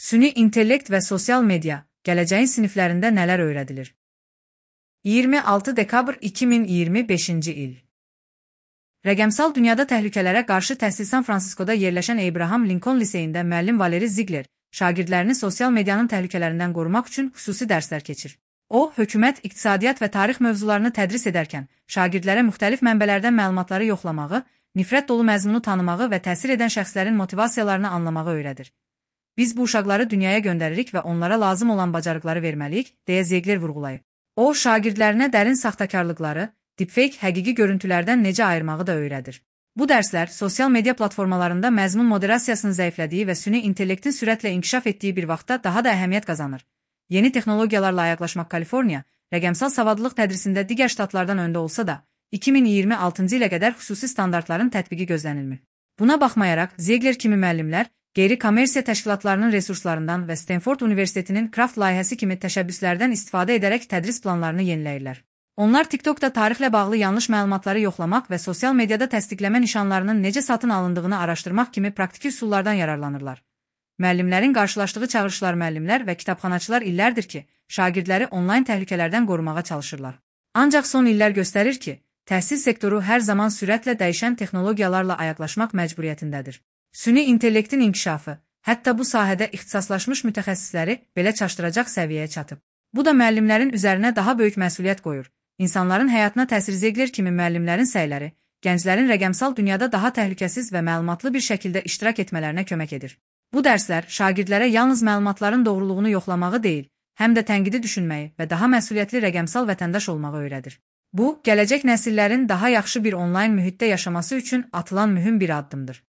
Süni intellekt və sosial media, gələcəyin siniflərində nələr öyrədilir? 26 dekabr 2025-ci il. Rəqəmsal dünyada təhlükələrə qarşı təhsil San Fransiskoda yerləşən Abraham Lincoln liseyində müəllim Valeri Ziegler şagirdlərini sosial medianın təhlükələrindən qorumaq üçün xüsusi dərslər keçir. O, hökumət, iqtisadiyyat və tarix mövzularını tədris edərkən şagirdlərə müxtəlif mənbələrdən məlumatları yoxlamağı, nifrət dolu məzmunu tanımağı və təsir edən şəxslərin motivasiyalarını anlamağı öyrədir. Biz bu uşaqları dünyaya göndəririk və onlara lazım olan bacarıqları verməliyik, deyə Ziegler vurğulayıb. O, şagirdlərinə dərin saxtakarlıqları, deepfake həqiqi görüntülərdən necə ayırmağı da öyrədir. Bu dərslər sosial media platformalarında məzmun moderasiyasının zəiflədiyi və süni intellektin sürətlə inkişaf etdiyi bir vaxtda daha da əhəmiyyət qazanır. Yeni texnologiyalarla ayaqlaşmaq Kaliforniya, rəqəmsal savadlılıq tədrisində digər ştatlardan öndə olsa da, 2026-cı ilə qədər xüsusi standartların tətbiqi gözlənilmir. Buna baxmayaraq, Ziegler kimi müəllimlər, qeyri-kommersiya təşkilatlarının resurslarından və Stanford Universitetinin Craft layihəsi kimi təşəbbüslərdən istifadə edərək tədris planlarını yeniləyirlər. Onlar TikTokda tarixlə bağlı yanlış məlumatları yoxlamaq və sosial mediada təsdiqləmə nişanlarının necə satın alındığını araşdırmaq kimi praktiki üsullardan yararlanırlar. Müəllimlərin qarşılaşdığı çağırışlar müəllimlər və kitabxanaçılar illərdir ki, şagirdləri onlayn təhlükələrdən qorumağa çalışırlar. Ancaq son illər göstərir ki, təhsil sektoru hər zaman sürətlə dəyişən texnologiyalarla ayaqlaşmaq məcburiyyətindədir. Süni intellektin inkişafı, hətta bu sahədə ixtisaslaşmış mütəxəssisləri belə çaşdıracaq səviyyəyə çatıb. Bu da müəllimlərin üzərinə daha böyük məsuliyyət qoyur. İnsanların həyatına təsir Ziegler kimi müəllimlərin səyləri, gənclərin rəqəmsal dünyada daha təhlükəsiz və məlumatlı bir şəkildə iştirak etmələrinə kömək edir. Bu dərslər şagirdlərə yalnız məlumatların doğruluğunu yoxlamağı deyil, həm də tənqidi düşünməyi və daha məsuliyyətli rəqəmsal vətəndaş olmağı öyrədir. Bu, gələcək nəsillərin daha yaxşı bir onlayn mühitdə yaşaması üçün atılan mühüm bir addımdır.